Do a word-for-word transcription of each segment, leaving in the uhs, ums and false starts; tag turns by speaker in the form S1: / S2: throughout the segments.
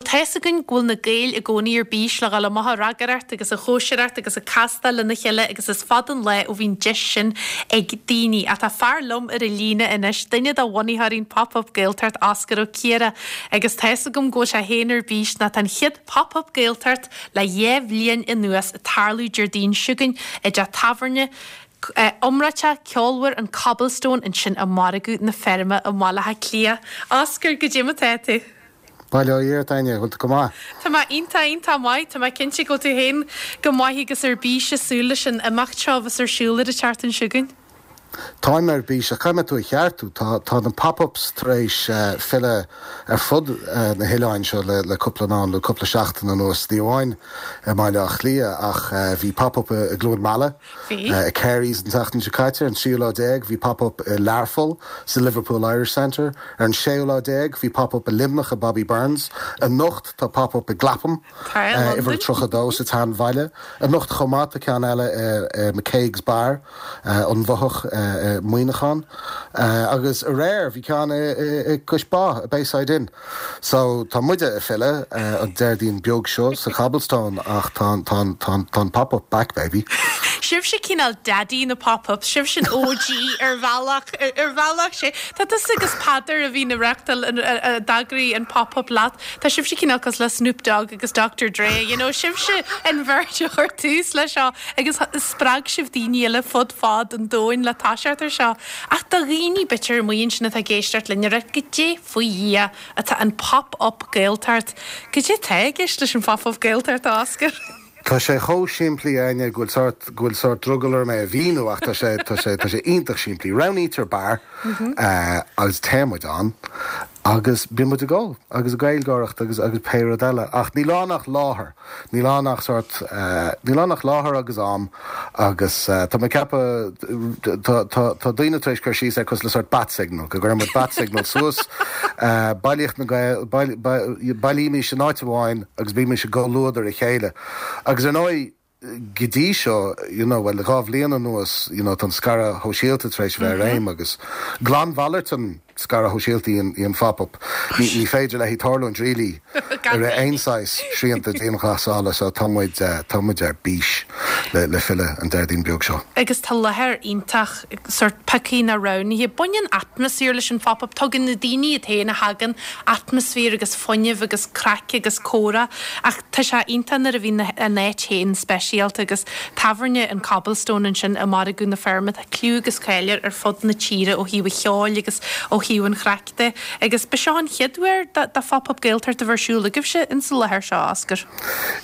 S1: tá's againn go bhfuil na Gaeil i gcónaí ar bís le dhul amach ag ragaireacht agus ag cóisireacht agus ag castáil lena chéile agus is fada an lá ó bhíonn deis sin ag daoine. Ach tá fear liom ar an líne anois, duine de bhunaitheoirí an Pop-up Gaeltacht Oscar Ó Ciardha agus tá's agam go bhfuil sé féin ar bís ná tá an chéad Pop-up Gaeltacht le dhá bhliain anuas ag tarlú Déardaoin seo chugainn i dteach tábhairne iomráiteach ceolmhar an Cobblestone ansin i Margadh na Feirme i mBaile Átha Cliath. Oscar goidé mar atá tú.
S2: Bail ó Dhia ort Áine bhfuil tú go maith.
S1: Tá mé iontach iontach maith Tá mé cinnte go bhfuil tú féin go maith agus ar bís ag súil leis an imeacht seo bheas ar siúl ar an tseachtain seo chugainn.
S2: Táim ar bís a chaithfidh tú a cheartú tá tá na pop-ups tar éis uh, filleadh ar fud uh, na hoileáin seo le, le cúpla ná le cúpla seachtain anuas ní amháin i mBaile Átha Cliath ach uh, bhí pop-up i gCluain Meala uh, Carey's an tseachtain seo caite an tríú lá déag bhí pop-up i Learpholl sa Liverpool Irish Centre ar an séú lá déag bhí pop-up i Luimneach i Bobby Burns anocht tá pop-up i gClapham uimhir tríocha dó sa tSeanbhaile anocht chomh maith tá ceann eile uh, McCaig's Bar uh, an Bhothach uh, Muineachán uh, agus aréir bhí ceann i Cois Bá Bayside Inn. So tá muide ag filleadh uh, an Déardaoin beag seo sa Cobblestone ach tá tá tá tá pop-up back baby.
S1: Sibhse cineál daddy na pop-up, sibh sin OG ar bhealach ar bhealach sé. Tá tusa agus Peadar a bhí na reachtal d'eagraigh an pop-up leat, Tá sibhse cineál cosúil le Snoop Dogg agus Dr. Dre, you know, sibhse an bheirt a chuir tús le seo agus spreag sibh daoine eile fud fad an domhain le toiseacht ar seo. Ach do dhaoine b'fhéidir amuigh ansin atá ag éisteacht linn ar goidé faoi Dhia atá an pop-up Gaeltacht. Goidé atá i gceist leis an pop-up Gaeltacht Oscar.
S2: Tá sé chomh simplí Áine go bhfuil go bhfuil sórt drogall orm é a mhíniú ach tá sé tá sé tá sé iontach simplí. Roghnaítear beár uh, agus téann muid ann agus bíonn muid ag ól agus Gaeilgeoireacht agus agus pé rud eile ach níl ann ach láthair Níl ann ach sórt uh, níl ann ach láthair agus am agus uh, tá mé ceapadh tá daoine tar éis cur síos ar cosúil le sórt bat signal go gcuireann muid bat signal suas uh, bailíocht na bailímis in áit amháin agus bímis i gcomhluadar a chéile. Agus ar ndóigh go dtí seo you know, well dhá bhliain anuas you know, tá scaradh sóisialta tar éis bheith réim agus glanmhalairt an scaradh sóisialta í an pop-up. Ní, ní féidir léi tarlúint really ar aon saghas srianta dianghlasála so tá muid uh, tá muid ar bís le, le filleadh an Déardaoin beag seo.
S1: Agus tá láthair iontach sórt pioctha ná roghnaithe baineann atmaisféar leis an pop-up tugann na daoine a théann a thagann atmaisféar agus fuinneamh agus craic agus comhrá ach tá sé iontach nuair a bhíonn an áit féin speisialta agus tábhairne an Cobblestone ansin i Margadh na Feirme tá clú agus cáil air ar fud na tíre ó thaobh an cheoil agus ó thaobh an chraic de agus ba seo an chéad uair do phop-up Gaeltacht a bheith ar siúl agaibhse in sa láthair seo Oscar.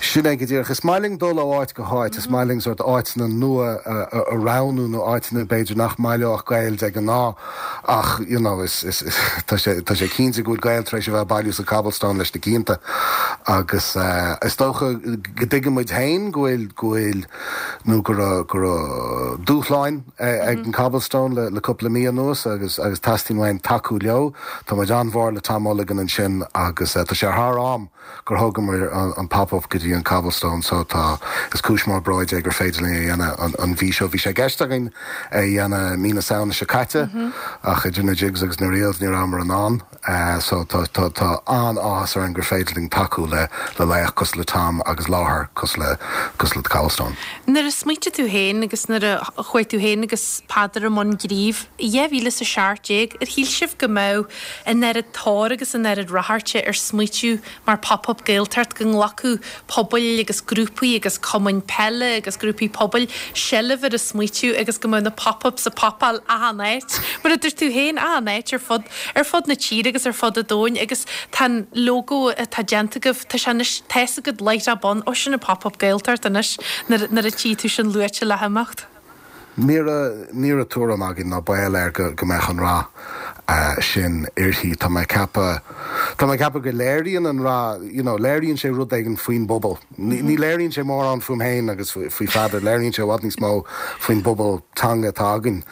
S2: Sin é go díreach is maith linn dul ó áit go háit is maith linn sórt áiteanna nua a roghnú nó áiteanna b'fhéidir nach mbaileodh Gaeil de ghnáth ach you know, is, is, is, tá sé tá sé cinnte go bhfuil Gaeil tar éis a bheith bailiú sa Cobblestone leis na cianta agus uh, is dócha go dtuigeann muid féin go bhfuil go bhfuil nó go go dúshláin ag an Cobblestone le, le cúpla mí anuas agus agus teastaíonn uainn tacú leo Tá muid an-mhór le Tom Mulligan ansin agus uh, tá sé thar am gur thugamar an, an pop-up go dtí an Cobblestone so tá is cúis mór bróid é gur féidir linn é dhéanamh an, an mhí seo bhí sé i gceist againn é dhéanamh mí na Samhna seo caite mm -hmm. ach idir na jigs agus na reels ní rabhamar in ann uh, so tá tá tá an-áthas orainn gur féidir linn tacú le le laoch cosúil le Tom agus láthair cosúil le cosúil le Cobblestone.
S1: Nuair a smaointigh tú féin agus nuair a chuaigh tú féin agus Peadar i mbun gnímh, dhá mhíle is a seacht déag ar shíl sibh go mbeadh an oiread tóir agus an oiread ráchairte ar smaoitiú mar pop-up Gaeltacht go nglacfadh pobail agus grúpaí agus cumainn peile agus grúpaí pobail seilbh ar an smaoitiú agus go mbeadh na pop-ups ag popáil achan áit. Mar a dúirt tú féin achan áit ar fud ar fud na tíre agus ar fud an domhain agus tá logo atá déanta agaibh tá sé tá go light up on ó sin a pop-up Gaeltacht anois nuair a tchí tú sin luaite le himeacht.
S2: Ní ní tuairim againn ná baol air go go mbeadh an rath uh, sin uirthi tá mé ceapadh Tá mé ceapadh go léiríonn an rath you know, léiríonn sé rud éigin faoin bpobal. Ní, ní léiríonn sé mórán fúm féin agus faoi Pheadar léiríonn sé i bhfad níos mó faoin bpobal teanga atá againn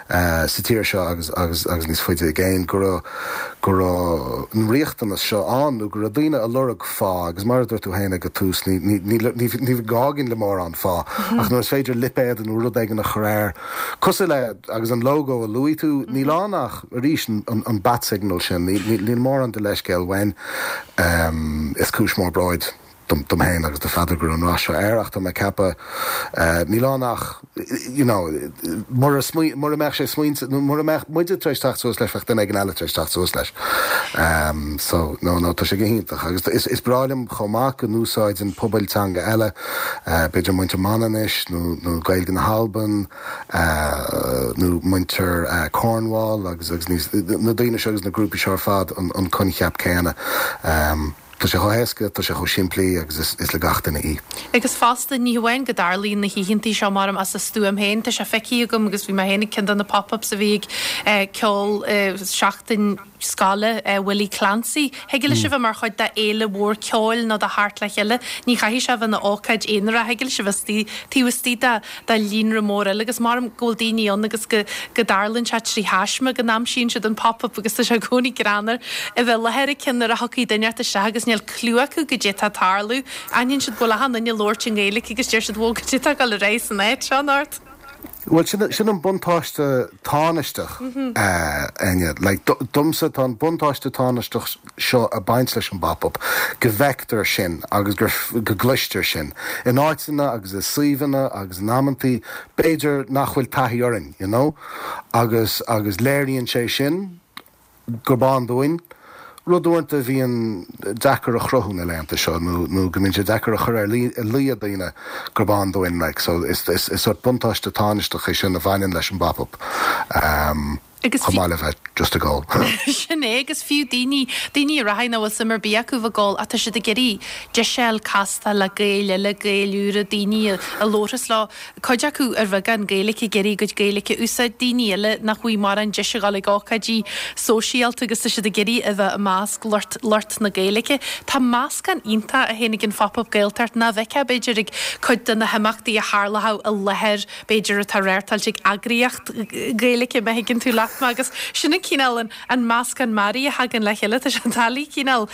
S2: uh, sa tír seo agus agus agus níos faide i gcéin go go raibh an riachtanas seo ann nó go raibh daoine ag lorg fáth agus mar a dúirt tú féin ag an tús ní ní ní ní gá againn le mórán fáth ach nuair is féidir lipéad nó rud éigin a chur air cosúil le agus an logo a luaigh tú níl ann ach arís an an bat signal sin níl mórán de leithscéal uainn um, is cúis mór bróid dom dom féin agus do Pheadar go raibh an rath seo air ach tá mé ag ceapadh níl ann ach you know mura mura mbeadh sé smaointe mura mbeadh muide tar éis teacht suas leis bheadh duine éigin eile tar éis teacht suas leis. Um, so no no tá sé go hiontach agus is, is breá liom chomh maith go n-úsáideann pobail teanga eile uh, b'fhéidir muintir Manainnis nó nó Gaeilge na hAlban uh, nó muintir uh, Cornwall agus agus níos na daoine seo agus na grúpaí seo ar fad an, an coincheap céanna. Um, Tá sé chomh héasca, tá sé chomh simplí agus is, is le gach duine í.
S1: Agus fosta ní hamháin go dtarlaíonn na hoícheanta seo mar as a stuaim féin, tá sé feicthe agam agus bhí mé féin ag ceann de na pop-ups a bhí ag eh, ceol eh, seachtain scoile eh, Willie Clancy. Thig leis a bheith mar chuid de fhéile mhór ceoil nó de thart le chéile, ní chaithfidh sé bheith ina ócáid aonarach, thig leis a bheith taobh istigh de de líonra mór eile agus mar go bhfuil daoine ann agus go go dtarlaíonn sé trí thaisme go n-aimsíonn siad an pop-up agus tá sé i gcónaí greannmhar a bheith i láthair ag ceann nuair a thiocfaidh duine ort isteach agus níl clue acu goidé tá ag tarlú. Aithníonn siad go bhfuil achan duine ag labhairt i nGaeilge agus deir siad bhó goidé tá ag dul ar aghaidh san áit seo anocht.
S2: Well sin sin an buntáiste tánaisteach Áine like domsa tá an buntáiste tánaisteach seo ag baint leis an bpop-up go bhfeictear sin agus gur go gcloistear sin. In áiteanna agus i suíomhanna agus in amantaí b'fhéidir nach bhfuil taithí orainn, you know? agus agus léiríonn sé sin gurb ann dúinn, rud uaireanta a bhíonn deacair a chruthú na laethanta seo nó nó go mbíonn sé deacair a chur ar luí ar dhaoine gurb ann dúinn like so is is is sort buntáiste tánaisteach é sin a bhaineann leis an bpop-up. Um,
S1: Agus
S2: chomh maith le bheith just ag ól.
S1: Sin é agus fiú daoine daoine a rachaidh nach bhfuil suim ar bith acu bheith ag ól ach tá siad ag iarraidh deis a fháil castáil le Gaeil eile, Gaeil úra, daoine a labharfas leo, cuid acu ar bheagán Gaeilge ag iarraidh a gcuid Gaeilge a úsáid, daoine eile nach bhfuil mórán deis a dhul ag ócáidí sóisialta agus tá siad ag iarraidh a bheith i measc lucht lucht na Gaeilge. Tá meascán iontach a théann ag an Phop-up Gaeltacht nach bhfeicfeá b'fhéidir ag cuid de na himeachtaí a tharlódh i láthair b'fhéidir atá reáchtáilte ag eagraíocht Gaeilge má thuigeann tú leat mé agus sin an cineál an, an meascán mearaí a thagann le chéile tá sé doiligh cineál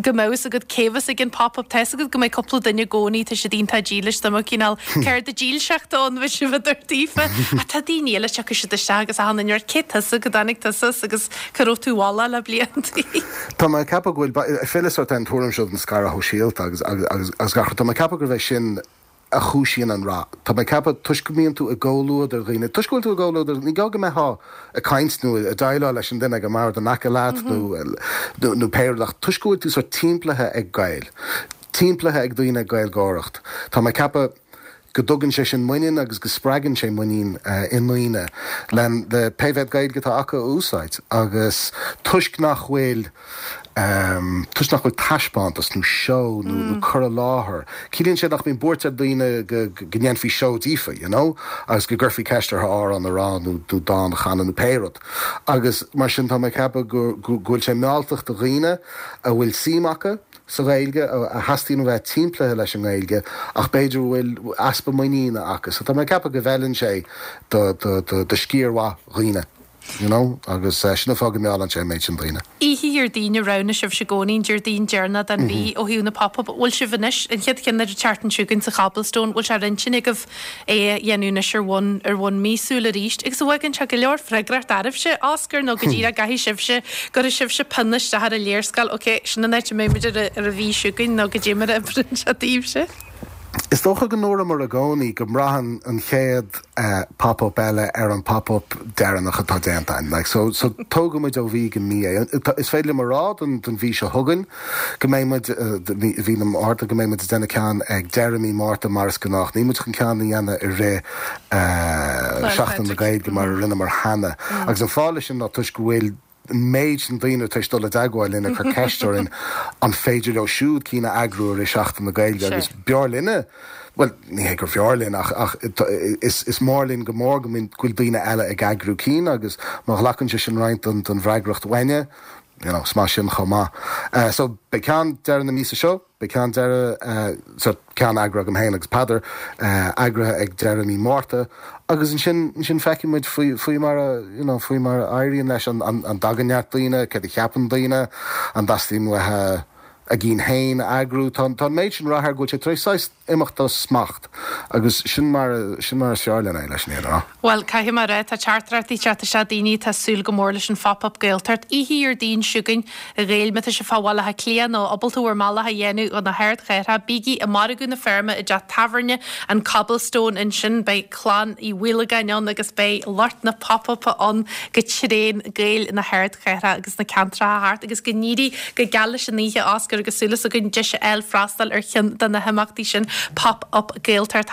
S1: go mbeadh fhios agat cé bheas ag an pop-up tá fhios agat go mbeidh cúpla duine i gcónaí tá siad iontach dílis do mo cineál ceird dílseachta ann bheidh sibh daofa ach tá daoine eile tiocfaidh siad isteach agus achan duine cé tusa go dtáinig tusa agus cá raibh tú ualla le bliantaí.
S2: Tá mé ag ceapadh go bhfuil file sort an tuairim seo den scaradh shóisialta agus agus agus agus gach tá mé ag ceapadh gurbh é sin a chúisíonn an rath. Tá mé ag ceapadh toisc go mbíonn tú i gcomhluadar dhaoine, toisc go bhfuil tú i gcomhluadar, ní gá go mbeifeá ag caint nó ag déileáil leis an duine ag an mbord in aice leat nó nó nó pé rud ach toisc go bhfuil tú sort timpeallaithe ag Gaeil, timpeallaithe ag daoine ag Gaeilgeoireacht. Tá mé ag ceapadh go dtugann sé sin muinín agus go spreagann sé muinín uh, i ndaoine le le pé mhéad Gaeilge atá acu a úsáid agus toisc nach bhfuil um, toisc nach bhfuil taispeántas nó seó nó, mm. nó cur i láthair. Ciallaíonn sé nach mbíonn buairt ar daoine go, go ndéanfaí seó díofa, you know? agus go gcuirfí ceist orthu amhrán a rá nó nó dán a chanadh nó pé rud. Agus mar sin tá mé ag ceapadh go, go, go bhfuil sé mealltach do dhaoine a bhfuil suim acu sa Ghaeilge a theastaíonn a bheith timpeallaithe leis an nGaeilge ach b'fhéidir bhfuil easpa muiníne acu. So tá mé ag ceapadh go bhfeileann sé do, do, do, do sciar mhaith dhaoine. You know? agus uh, sin an fáth go meallann sé an méid sin daoine.
S1: Oíche Dhéardaoin a roghnaigh sibh i gcónaí Déardaoin deireanach den mhí ó thaobh na pop-up bhfuil sibh anois an chéad cheann ar an tseachtain seo chugainn sa Cobblestone bhfuil sé ar intinn agaibh é a dhéanamh anois ar bhonn ar bhonn míosúil arís agus an bhfágann sé go leor freagracht oraibhse Oscar nó go díreach caithfidh sibhse go raibh sibhse pionna isteach ar an léarscáil ok sin an áit a mbeidh muid ar ar an mhí seo chugainn nó goidé mar a oibríonn sé daoibhse.
S2: Is dócha go ndúramar i gcónaí go mbraitheann an chéad uh, pop-up eile ar an pop-up deireanach atá déanta. Like, so, so tógfaimid ó mhí go mí é. Is féidir liom a rá don, don mhí seo chugainn go mbeidh uh, mí na Márta go mbeidh muid ag déanamh ceann ag deireadh mí Márta mar is gnách. Níl muid chun ceann a dhéanamh i rith uh, Seachtain na Gaeilge mar a rinneamar cheana. Mm. Agus an fáth sin ná toisc go bhfuil méid sin daoine tar éis dul i dteagmháil linn ag cur ceist orainn an féidir leo siúd cinn a eagrú i Seachtain na Gaeilge agus b'fhearr linne well ní hé gur b'fhearr linn ach ach is is mór linn go mór go bhfuil daoine eile ag eagrú cinn agus má ghlacann sé sin roinnt den den bhfreagracht uainne you know, is maith sin chomh maith. Uh, so beidh ceann deireadh na míosa seo, beidh ceann deireadh uh, so ceann eagraithe agam féin agus Peadar uh, eagraithe ag deireadh mí Márta, agus ansin ansin feicfidh muid faoi faoi mar a you know, faoi mar a éiríonn leis an, an, an dtagann neart daoine, céard a cheapann daoine, an dteastaíonn uathu a gcinn féin a eagrú tá tá an méid sin rath air go bhfuil sé tar éis saghas imeacht as smacht agus sin mar sin mar is fearr linn é leis an rá.
S1: Well caithfidh mé a rá tá teachtaireachtaí ag teacht isteach daoine atá ag súil go mór leis an Phop-up Gaeltacht. Oíche Dhéardaoin seo chugainn a Ghaeil má tá sibh fá Bhaile Átha Cliath nó ábalta bhur mbealach a dhéanamh chun na hardchathrach, bígí i Margadh na Feirme i dteach tábhairne an Cobblestone ansin beidh clann Uí Mhaolagáin ann agus beidh lucht na Pop-up ann go tréan Gaeil na hardchathrach agus na ceantracha thart agus go n-éirí go geal leis an oíche Oscar agus súil againn deis a fháil freastal ar cheann de na himeachtaí sin Pop-up Gaeltacht.